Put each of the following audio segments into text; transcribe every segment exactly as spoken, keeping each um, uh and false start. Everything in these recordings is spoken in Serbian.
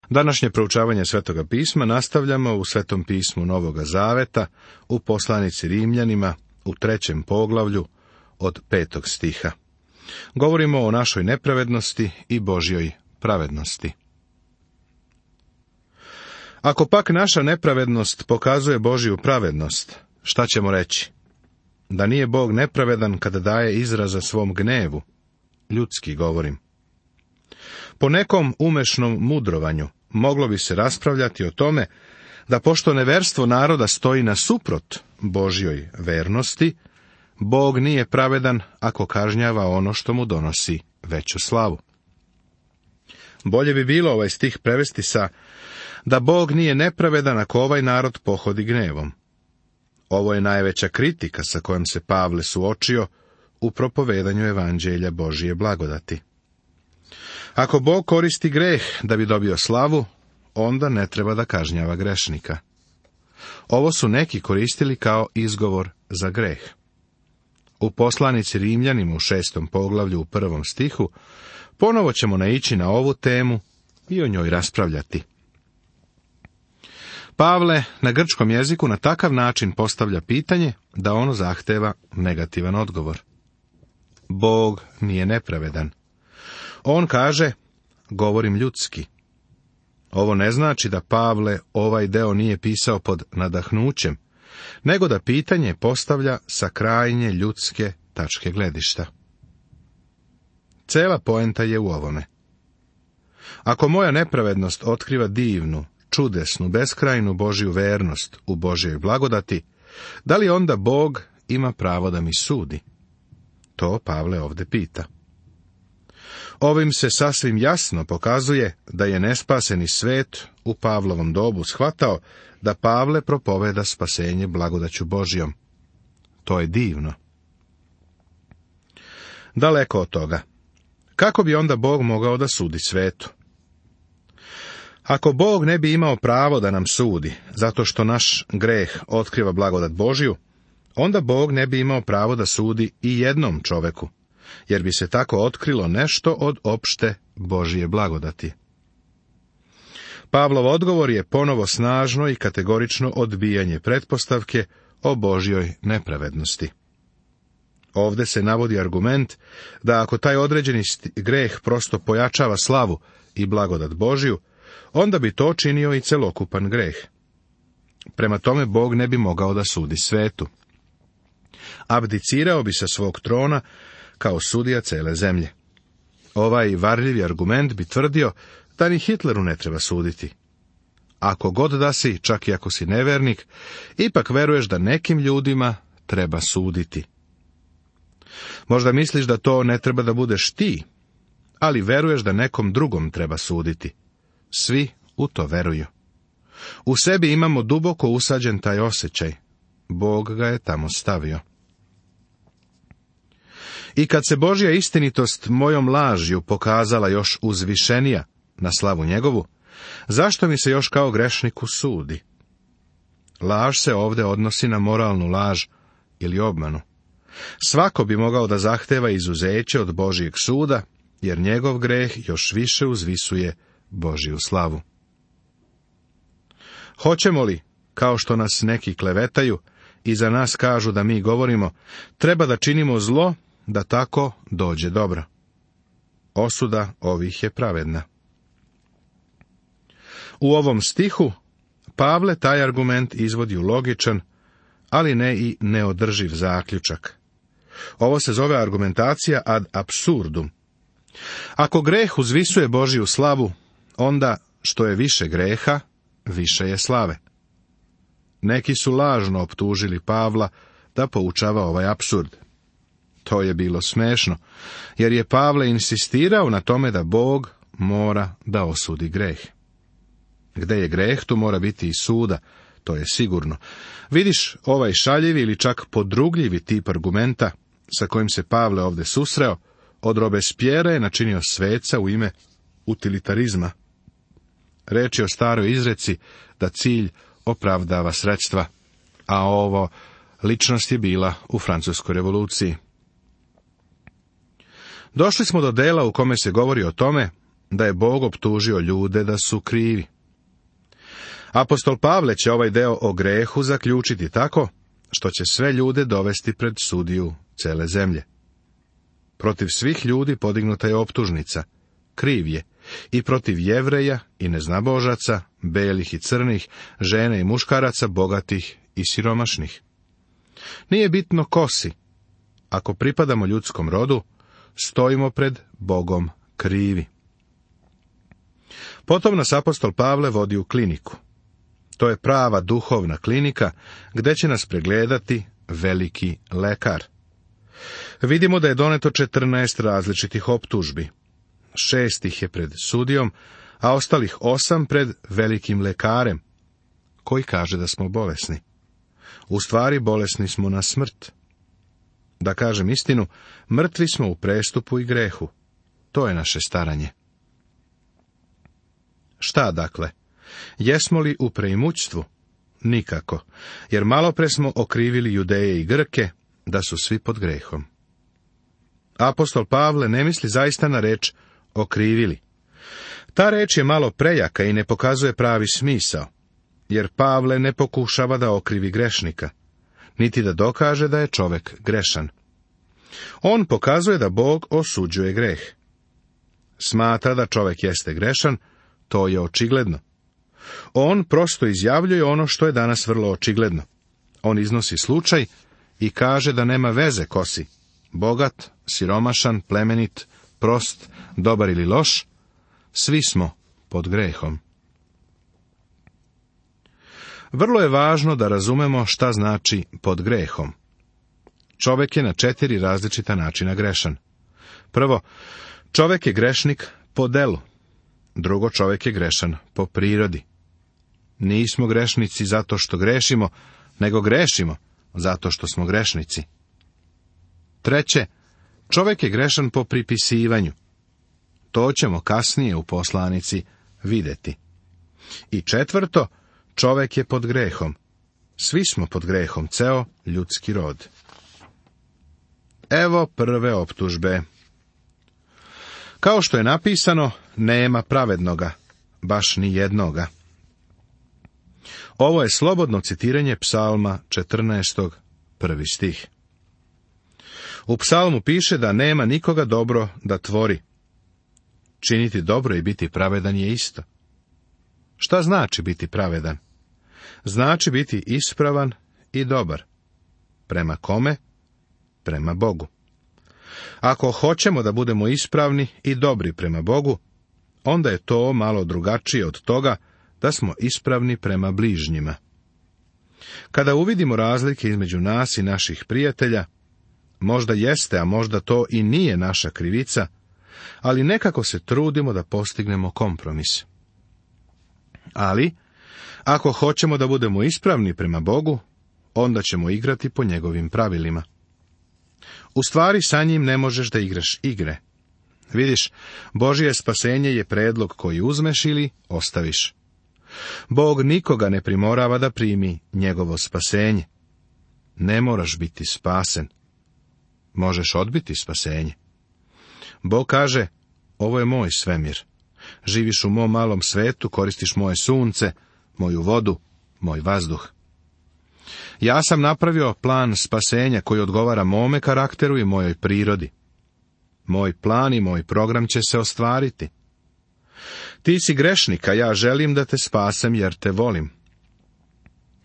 Današnje proučavanje Svetoga pisma nastavljamo u Svetom pismu Novoga Zaveta, u poslanici Rimljanima, u trećem poglavlju, od petog stiha. Govorimo o našoj nepravednosti i Božjoj pravednosti. Ako pak naša nepravednost pokazuje Božju pravednost, šta ćemo reći? Da nije Bog nepravedan kada daje izraza svom gnevu? Ljudski govorim. Po nekom umešnom mudrovanju moglo bi se raspravljati o tome da pošto neverstvo naroda stoji nasuprot Božjoj vernosti, Bog nije pravedan ako kažnjava ono što mu donosi veću slavu. Bolje bi bilo ovaj stih prevesti sa da Bog nije nepravedan ako ovaj narod pohodi gnevom. Ovo je najveća kritika sa kojom se Pavle suočio u propovedanju evanđelja Božije blagodati. Ako Bog koristi greh da bi dobio slavu, onda ne treba da kažnjava grešnika. Ovo su neki koristili kao izgovor za greh. U poslanici Rimljanima u šestom poglavlju u prvom stihu ponovo ćemo naići na ovu temu i o njoj raspravljati. Pavle na grčkom jeziku na takav način postavlja pitanje da ono zahteva negativan odgovor. Bog nije nepravedan. On kaže, govorim ljudski. Ovo ne znači da Pavle ovaj deo nije pisao pod nadahnućem, nego da pitanje postavlja sa krajnje ljudske tačke gledišta. Cela poenta je u ovome. Ako moja nepravednost otkriva divnu, čudesnu, beskrajnu Božju vernost u Božjoj blagodati, da li onda Bog ima pravo da mi sudi? To Pavle ovde pita. Ovim se sasvim jasno pokazuje da je nespaseni svet u Pavlovom dobu shvatao da Pavle propoveda spasenje blagodaću Božjom. To je divno. Daleko od toga. Kako bi onda Bog mogao da sudi svetu? Ako Bog ne bi imao pravo da nam sudi, zato što naš greh otkriva blagodat Božju, onda Bog ne bi imao pravo da sudi i jednom čoveku, jer bi se tako otkrilo nešto od opšte Božje blagodati. Pavlov odgovor je ponovo snažno i kategorično odbijanje pretpostavke o Božjoj nepravednosti. Ovde se navodi argument da ako taj određeni greh prosto pojačava slavu i blagodat Božju, onda bi to činio i celokupan greh. Prema tome Bog ne bi mogao da sudi svetu. Abdicirao bi sa svog trona kao sudija cele zemlje. Ovaj varljivi argument bi tvrdio da ni Hitleru ne treba suditi. Ako god da si, čak i ako si nevernik, ipak veruješ da nekim ljudima treba suditi. Možda misliš da to ne treba da budeš ti, ali veruješ da nekom drugom treba suditi. Svi u to veruju. U sebi imamo duboko usađen taj osjećaj. Bog ga je tamo stavio. I kad se Božja istinitost mojom lažju pokazala još uzvišenija na slavu njegovu, zašto mi se još kao grešniku sudi? Laž se ovde odnosi na moralnu laž ili obmanu. Svako bi mogao da zahteva izuzeće od Božjeg suda, jer njegov greh još više uzvisuje Božju slavu. Hoćemo li, kao što nas neki klevetaju i za nas kažu da mi govorimo, treba da činimo zlo, da tako dođe dobro? Osuda ovih je pravedna. U ovom stihu Pavle taj argument izvodi u logičan, ali ne i neodrživ zaključak. Ovo se zove argumentacija ad absurdum. Ako greh uzvisuje Božju slavu, onda što je više greha, više je slave. Neki su lažno optužili Pavla da poučava ovaj apsurd. To je bilo smešno, jer je Pavle insistirao na tome da Bog mora da osudi greh. Gde je greh, tu mora biti i suda, to je sigurno. Vidiš ovaj šaljivi ili čak podrugljivi tip argumenta sa kojim se Pavle ovde susreo, od Robespierre je načinio sveca u ime utilitarizma. Reč je o staroj izreci da cilj opravdava sredstva, a ovo ličnost je bila u Francuskoj revoluciji. Došli smo do dela u kome se govori o tome da je Bog optužio ljude da su krivi. Apostol Pavle će ovaj deo o grehu zaključiti tako, što će sve ljude dovesti pred sudiju cele zemlje. Protiv svih ljudi podignuta je optužnica, kriv je, i protiv Jevreja i neznabožaca, belih i crnih, žena i muškaraca, bogatih i siromašnih. Nije bitno ko si. Ako pripadamo ljudskom rodu, stojimo pred Bogom krivi. Potom nas apostol Pavle vodi u kliniku. To je prava duhovna klinika, gde će nas pregledati veliki lekar. Vidimo da je doneto četrnaest različitih optužbi. Šest ih je pred sudijom, a ostalih osam pred velikim lekarem, koji kaže da smo bolesni. U stvari bolesni smo na smrt. Da kažem istinu, mrtvi smo u prestupu i grehu. To je naše staranje. Šta dakle? Jesmo li u preimućstvu? Nikako, jer malopre smo okrivili Judeje i Grke da su svi pod grehom. Apostol Pavle ne misli zaista na reč okrivili. Ta reč je malo prejaka i ne pokazuje pravi smisao, jer Pavle ne pokušava da okrivi grešnika, niti da dokaže da je čovek grešan. On pokazuje da Bog osuđuje greh. Smatra da čovek jeste grešan, to je očigledno. On prosto izjavljuje ono što je danas vrlo očigledno. On iznosi slučaj i kaže da nema veze ko si, bogat, siromašan, plemenit, prost, dobar ili loš, svi smo pod grehom. Vrlo je važno da razumemo šta znači pod grehom. Čovek je na četiri različita načina grešan. Prvo, čovek je grešnik po delu. Drugo, čovek je grešan po prirodi. Nismo grešnici zato što grešimo, nego grešimo zato što smo grešnici. Treće, čovek je grešan po pripisivanju. To ćemo kasnije u poslanici videti. I četvrto, čovek je pod grehom. Svi smo pod grehom, ceo ljudski rod. Evo prve optužbe. Kao što je napisano, nema pravednoga, baš ni jednoga. Ovo je slobodno citiranje Psalma četrnaestog, prvi stih. U psalmu piše da nema nikoga dobro da tvori. Činiti dobro i biti pravedan je isto. Šta znači biti pravedan? Znači biti ispravan i dobar. Prema kome? Prema Bogu. Ako hoćemo da budemo ispravni i dobri prema Bogu, onda je to malo drugačije od toga da smo ispravni prema bližnjima. Kada uvidimo razlike između nas i naših prijatelja, možda jeste, a možda to i nije naša krivica, ali nekako se trudimo da postignemo kompromis. Ali, ako hoćemo da budemo ispravni prema Bogu, onda ćemo igrati po njegovim pravilima. U stvari sa njim ne možeš da igraš igre. Vidiš, Božje spasenje je predlog koji uzmeš ili ostaviš. Bog nikoga ne primorava da primi njegovo spasenje. Ne moraš biti spasen. Možeš odbiti spasenje. Bog kaže, ovo je moj svemir. Živiš u mom malom svetu, koristiš moje sunce, moju vodu, moj vazduh. Ja sam napravio plan spasenja koji odgovara mome karakteru i mojoj prirodi. Moj plan i moj program će se ostvariti. Ti si grešnik, a ja želim da te spasem jer te volim.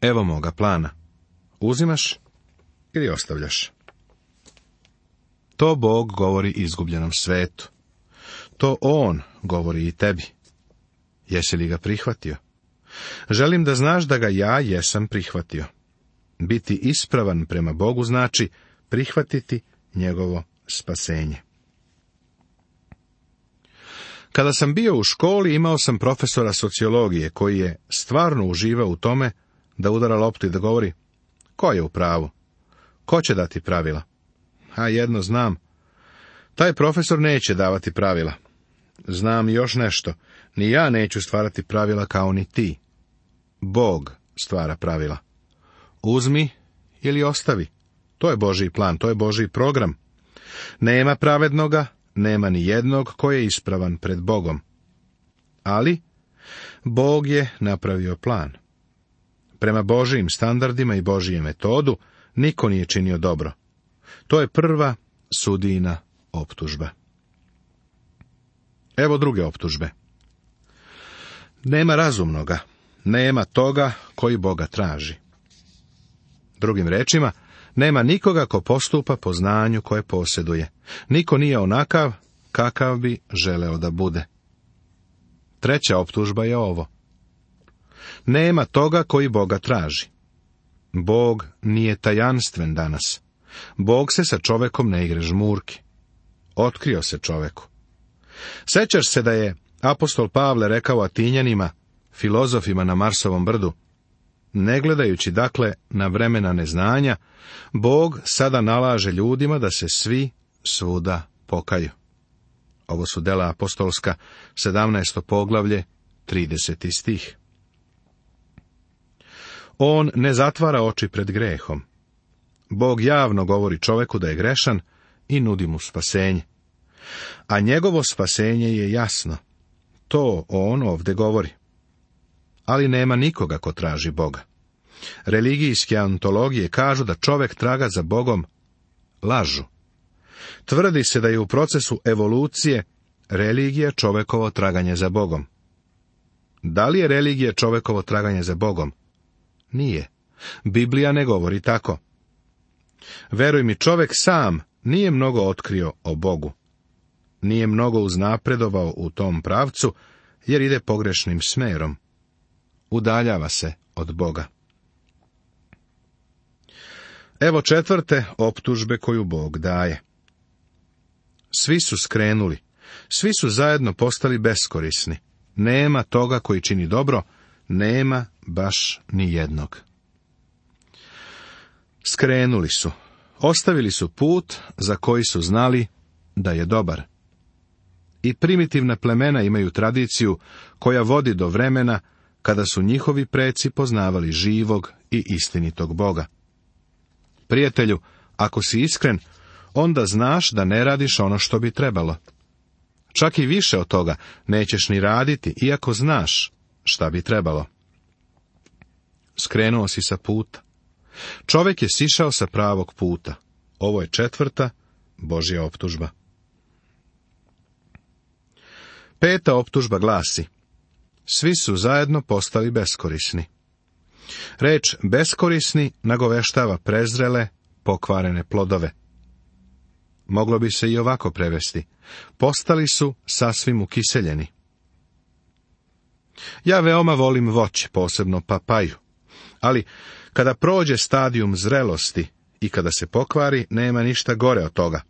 Evo moga plana. Uzimaš ili ostavljaš? To Bog govori izgubljenom svetu. To On govori i tebi. Jesi li ga prihvatio? Želim da znaš da ga ja jesam prihvatio. Biti ispravan prema Bogu znači prihvatiti njegovo spasenje. Kada sam bio u školi, imao sam profesora sociologije koji je stvarno uživao u tome da udara loptu i da govori: ko je u pravu? Ko će dati pravila? A jedno znam, taj profesor neće davati pravila. Znam još nešto, ni ja neću stvarati pravila kao ni ti. Bog stvara pravila. Uzmi ili ostavi. To je Božji plan, to je Božji program. Nema pravednoga, nema ni jednog ko je ispravan pred Bogom. Ali, Bog je napravio plan. Prema Božijim standardima i Božijem metodu, niko nije činio dobro. To je prva sudijina optužba. Evo druge optužbe. Nema razumnoga, nema toga koji Boga traži. Drugim rečima, nema nikoga ko postupa po znanju koje posjeduje. Niko nije onakav kakav bi želeo da bude. Treća optužba je ovo. Nema toga koji Boga traži. Bog nije tajanstven danas. Bog se sa čovekom ne igra žmurki. Otkrio se čoveku. Sećaš se da je apostol Pavle rekao Atinjanima, filozofima na Marsovom brdu, ne gledajući dakle na vremena neznanja, Bog sada nalaže ljudima da se svi svuda pokaju. Ovo su dela apostolska, sedamnaesto poglavlje, trideseti stih. On ne zatvara oči pred grehom. Bog javno govori čoveku da je grešan i nudi mu spasenje. A njegovo spasenje je jasno. To on ovdje govori. Ali nema nikoga ko traži Boga. Religijske antologije kažu da čovek traga za Bogom lažu. Tvrdi se da je u procesu evolucije religija čovekovo traganje za Bogom. Da li je religija čovekovo traganje za Bogom? Nije. Biblija ne govori tako. Veruj mi, čovek sam nije mnogo otkrio o Bogu. Nije mnogo uznapredovao u tom pravcu, jer ide pogrešnim smerom. Udaljava se od Boga. Evo četvrte optužbe koju Bog daje. Svi su skrenuli, svi su zajedno postali beskorisni. Nema toga koji čini dobro, nema baš ni jednog. Skrenuli su, ostavili su put za koji su znali da je dobar. I primitivna plemena imaju tradiciju koja vodi do vremena kada su njihovi preci poznavali živog i istinitog Boga. Prijatelju, ako si iskren, onda znaš da ne radiš ono što bi trebalo. Čak i više od toga nećeš ni raditi, iako znaš šta bi trebalo. Skrenuo si sa puta. Čovjek je sišao sa pravog puta. Ovo je četvrta Božja optužba. Peta optužba glasi: svi su zajedno postali beskorisni. Reč beskorisni nagoveštava prezrele, pokvarene plodove. Moglo bi se i ovako prevesti: postali su sasvim ukiseljeni. Ja veoma volim voće, posebno papaju, ali kada prođe stadijum zrelosti i kada se pokvari, nema ništa gore od toga.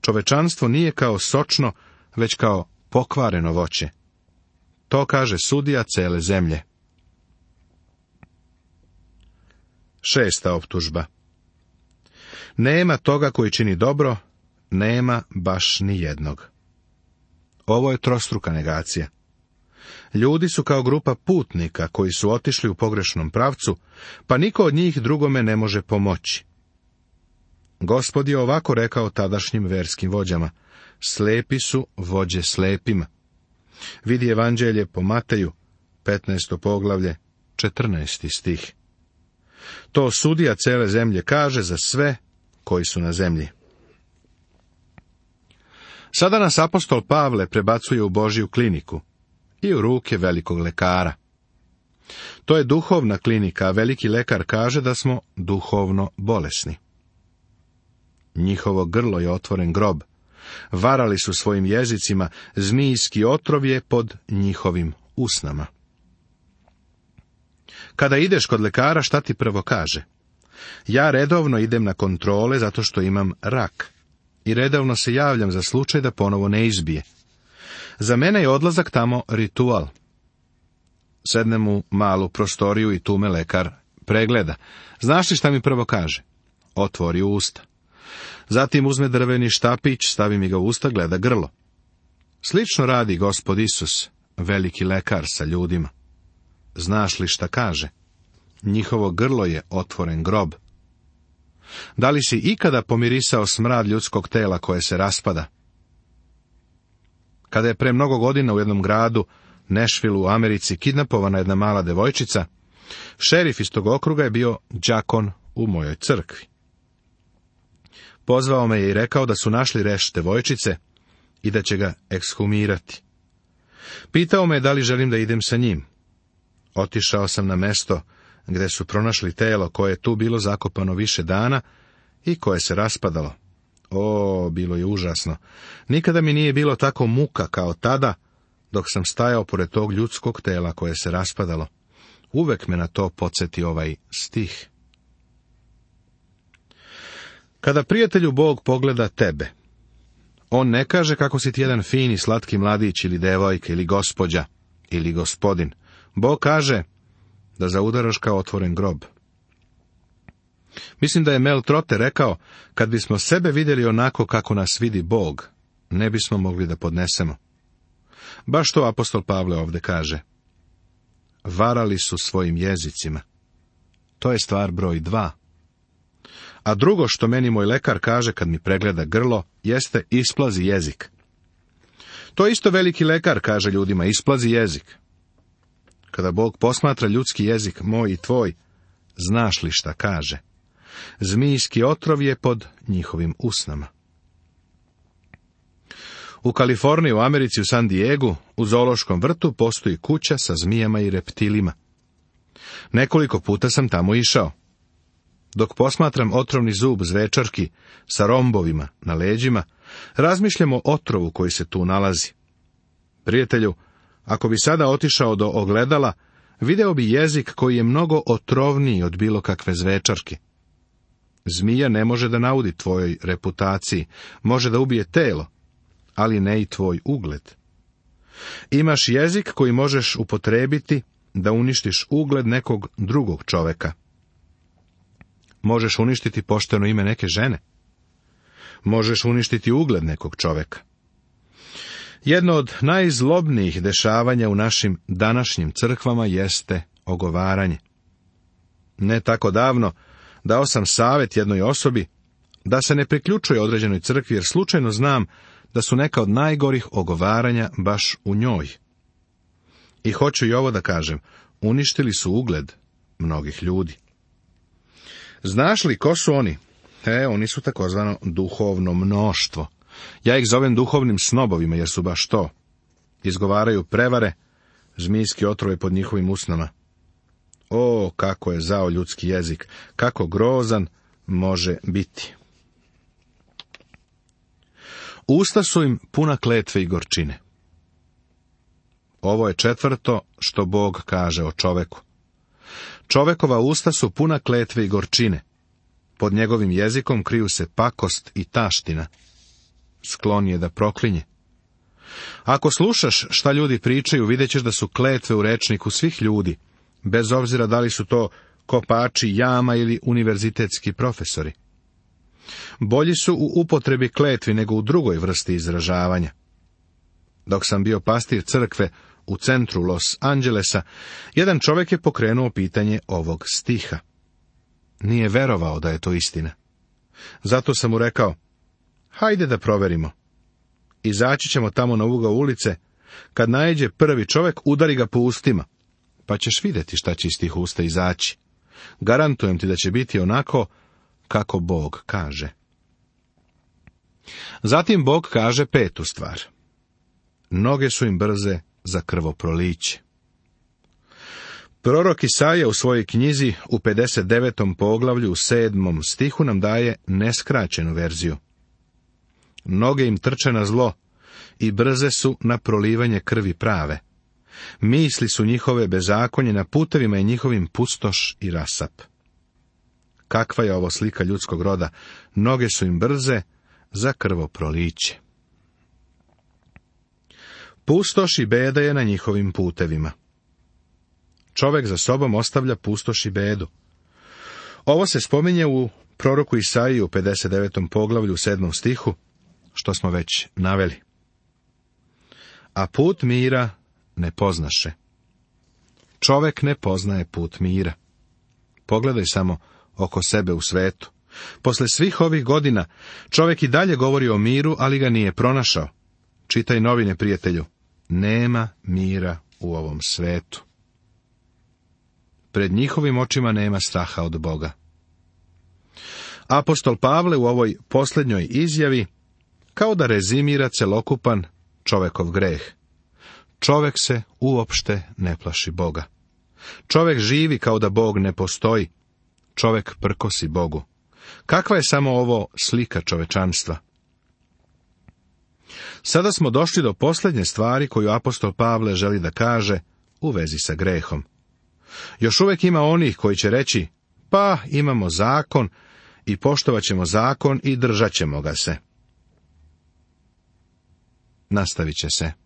Čovečanstvo nije kao sočno, već kao pokvareno voće. To kaže sudija cele zemlje. Šesta optužba. Nema toga koji čini dobro, nema baš ni jednog. Ovo je trostruka negacija. Ljudi su kao grupa putnika koji su otišli u pogrešnom pravcu, pa niko od njih drugome ne može pomoći. Gospod je ovako rekao tadašnjim verskim vođama: slepi su vođe slepima. Vidi Evanđelje po Mateju, petnaesto poglavlje, četrnaesti stih. To sudija cele zemlje kaže za sve koji su na zemlji. Sada nas apostol Pavle prebacuje u Božju kliniku i u ruke velikog lekara. To je duhovna klinika, a veliki lekar kaže da smo duhovno bolesni. Njihovo grlo je otvoren grob. Varali su svojim jezicima, zmijski otrov je pod njihovim usnama. Kada ideš kod lekara, šta ti prvo kaže? Ja redovno idem na kontrole zato što imam rak. I redovno se javljam za slučaj da ponovo ne izbije. Za mene je odlazak tamo ritual. Sednem u malu prostoriju i tu me lekar pregleda. Znaš li šta mi prvo kaže? Otvori usta. Zatim uzme drveni štapić, stavi mi ga u usta, gleda grlo. Slično radi Gospod Isus, veliki lekar sa ljudima. Znaš li šta kaže? Njihovo grlo je otvoren grob. Da li si ikada pomirisao smrad ljudskog tela koje se raspada? Kada je pre mnogo godina u jednom gradu, Nashvilleu u Americi, kidnapovana jedna mala devojčica, šerif iz tog okruga je bio đakon u mojoj crkvi. Pozvao me je i rekao da su našli reš devojčice i da će ga ekshumirati. Pitao me da li želim da idem sa njim. Otišao sam na mesto gde su pronašli telo koje je tu bilo zakopano više dana i koje se raspadalo. O, bilo je užasno. Nikada mi nije bilo tako muka kao tada, dok sam stajao pored tog ljudskog tela koje se raspadalo. Uvek me na to podsjeti ovaj stih. Kada prijatelju Bog pogleda tebe, on ne kaže kako si ti jedan fini, slatki mladić ili devojka ili gospođa ili gospodin. Bog kaže da zaudaraš kao otvoren grob. Mislim da je Mel Trotter rekao, kad bismo sebe vidjeli onako kako nas vidi Bog, ne bismo mogli da podnesemo. Baš to apostol Pavle ovdje kaže. Varali su svojim jezicima. To je stvar broj dva. A drugo što meni moj lekar kaže kad mi pregleda grlo, jeste isplazi jezik. To isto veliki lekar kaže ljudima, isplazi jezik. Kada Bog posmatra ljudski jezik, moj i tvoj, znaš li šta kaže? Zmijski otrov je pod njihovim usnama. U Kaliforniji, u Americi, u San Diegu, u zoološkom vrtu postoji kuća sa zmijama i reptilima. Nekoliko puta sam tamo išao. Dok posmatram otrovni zub zvečarki sa rombovima na leđima, razmišljam o otrovu koji se tu nalazi. Prijatelju, ako bi sada otišao do ogledala, video bi jezik koji je mnogo otrovniji od bilo kakve zvečarke. Zmija ne može da naudi tvojoj reputaciji, može da ubije telo, ali ne i tvoj ugled. Imaš jezik koji možeš upotrebiti da uništiš ugled nekog drugog čoveka. Možeš uništiti pošteno ime neke žene. Možeš uništiti ugled nekog čoveka. Jedno od najzlobnijih dešavanja u našim današnjim crkvama jeste ogovaranje. Ne tako davno dao sam savjet jednoj osobi da se ne priključuje određenoj crkvi, jer slučajno znam da su neka od najgorih ogovaranja baš u njoj. I hoću i ovo da kažem, uništili su ugled mnogih ljudi. Znaš li ko su oni? E, oni su takozvano duhovno mnoštvo. Ja ih zovem duhovnim snobovima, jer su baš to. Izgovaraju prevare, zmijski otrove pod njihovim usnama. O, kako je zao ljudski jezik, kako grozan može biti. Usta su im puna kletve i gorčine. Ovo je četvrto što Bog kaže o čoveku. Čovekova usta su puna kletve i gorčine. Pod njegovim jezikom kriju se pakost i taština. Sklon je da proklinje. Ako slušaš šta ljudi pričaju, vidjet ćeš da su kletve u rečniku svih ljudi, bez obzira da li su to kopači jama ili univerzitetski profesori. Bolji su u upotrebi kletvi nego u drugoj vrsti izražavanja. Dok sam bio pastir crkve u centru Los Angelesa, jedan čovjek je pokrenuo pitanje ovog stiha. Nije verovao da je to istina. Zato sam mu rekao, hajde da proverimo. Izaći ćemo tamo na ugao ulice, kad naiđe prvi čovjek, udari ga po ustima, pa ćeš vidjeti šta će iz tih usta izaći. Garantujem ti da će biti onako kako Bog kaže. Zatim Bog kaže petu stvar. Noge su im brze za krvoproliće. Prorok Isaija u svojoj knjizi u pedeset devetom poglavlju u sedmom stihu nam daje neskraćenu verziju. Noge im trče na zlo i brze su na prolivanje krvi prave. Misli su njihove bezakonje, na putevima je njihovim pustoš i rasap. Kakva je ovo slika ljudskog roda? Noge su im brze za krvoproliće. Pustoš i beda je na njihovim putevima. Čovjek za sobom ostavlja pustoš i bedu. Ovo se spominje u proroku Isaiji u pedeset devetom poglavlju u sedmom stihu, što smo već naveli. A put mira ne poznaše. Čovjek ne poznaje put mira. Pogledaj samo oko sebe u svetu. Posle svih ovih godina čovjek i dalje govori o miru, ali ga nije pronašao. Čitaj novine, prijatelju. Nema mira u ovom svetu. Pred njihovim očima nema straha od Boga. Apostol Pavle u ovoj posljednjoj izjavi kao da rezimira celokupan čovekov greh. Čovek se uopšte ne plaši Boga. Čovek živi kao da Bog ne postoji. Čovek prkosi Bogu. Kakva je samo ovo slika čovečanstva? Sada smo došli do posljednje stvari koju apostol Pavle želi da kaže u vezi sa grehom. Još uvijek ima onih koji će reći, pa imamo zakon i poštovat ćemo zakon i držat ćemo ga se. Nastavit će se.